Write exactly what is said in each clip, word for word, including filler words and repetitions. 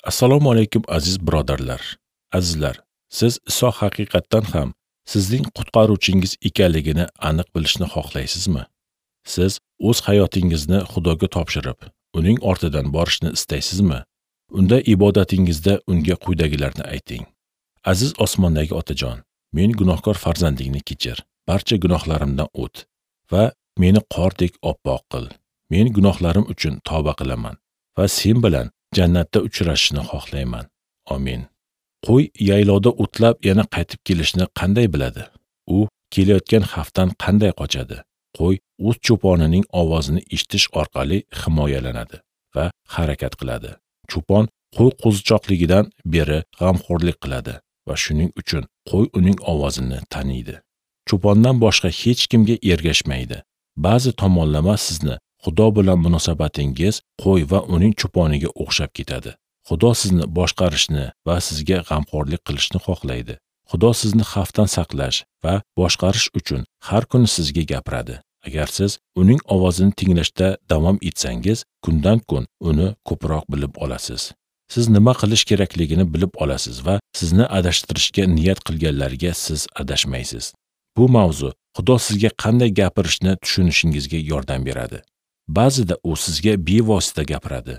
Assalomu alaykum aziz birodarlar. Azizlar, siz Iso haqiqatdan ham sizning qutqaruvchingiz ekanligini aniq bilishni xohlaysizmi? Siz o'z hayotingizni Xudoga topshirib, uning ortidan borishni istaysizmi? Unda ibodatingizda unga quyidagilarni ayting. Aziz osmondagi Otajon, men gunohkor farzandingni kechir. Barcha gunohlarimdan o't va meni qordek oppoq qil. Men gunohlarim uchun tavba qilaman va sen bilan jannatda uchrashishni xohlayman. Amin. Qo'y yaylovda o'tlab yana qaytib kelishni qanday biladi? U kelayotgan xavfdan qanday qochadi? Qo'y o'z cho'ponining ovozini eshitish orqali himoyalanadi va harakat qiladi. Cho'pon qo'y qo'zichoqligidan beri g'amxo'rlik qiladi va shuning uchun qo'y uning ovozini taniydi. Cho'pondan boshqa hech kimga ergashmaydi. Ba'zi tomonlama sizni Xudo bilan munosabatingiz qo'y va uning cho'poniga o'xshab ketadi. Xudo sizni boshqarishni va sizga g'amxo'rlik qilishni xohlaydi. Xudo sizni xavfdan saqlash va boshqarish uchun har kuni sizga gapiradi. Agar siz uning ovozini tinglashda davom etsangiz, kundan kun uni ko'proq bilib olasiz. Siz nima qilish kerakligini bilib olasiz va sizni adashtirishga niyat qilganlarga siz adashmaysiz. Bu mavzu Xudo sizga qanday gapirishni tushunishingizga yordam beradi. Ba'zida u sizga bevosita gapiradi.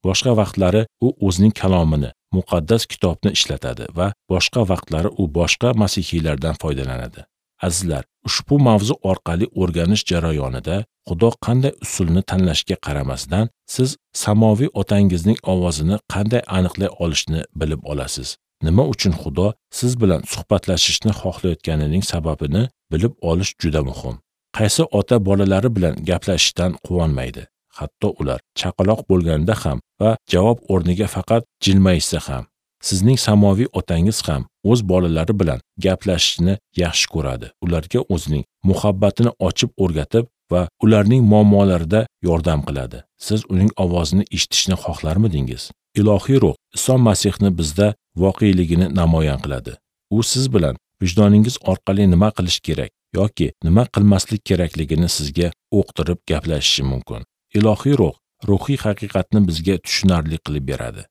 Boshqa vaqtlari u o'zining kalomini, muqaddas kitobni ishlatadi va boshqa vaqtlari u boshqa masihiylardan foydalanadi. Azizlar, ushbu mavzu orqali o'rganish jarayonida Xudo qanday usulni tanlashga qaramasdan, siz samoviy otangizning ovozini qanday aniqlay olishni bilib olasiz. Nima uchun Xudo siz bilan suhbatlashishni xohlayotganining sababini bilib olish juda muhim. Qaysi ota bolalari bilan gaplashishdan quvonmaydi? Hatto ular chaqaloq bo'lganda ham va javob o'rniga faqat jilmayishsa ham. Sizning samoviy otangiz ham o'z bolalari bilan gaplashishni yaxshi ko'radi. Ularga o'zining muhabbatini ochib o'rgatib va ularning muammolarida yordam qiladi. Siz uning ovozini eshitishni xohlarmidingiz? Ilohiy ruh Iso Masihni bizda voqeligini namoyon qiladi. U siz bilan vijdoningiz orqali nima qilish kerak yoki nima qilmaslik kerakligini sizga o'qtirib gaplashishi mumkin. Ilohiy ruh ruhiy haqiqatni bizga tushunarli qilib beradi.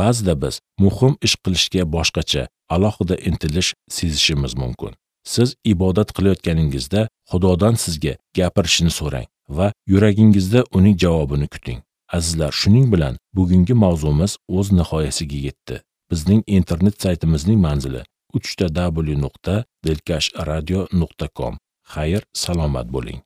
Ba'zida biz muhim ish qilishga boshqacha, alohida intilish sezishimiz mumkin. Siz ibodat qilayotganingizda Xudodan sizga gapirishini so'rang va yuragingizda uning javobini kuting. Azizlar, shuning bilan bugungi mavzumiz o'z nihoyasiga yetdi. Bizning internet saytimizning manzili uch ta w nuqta dilkash radio nuqta com. Xayr, salomat bo'ling.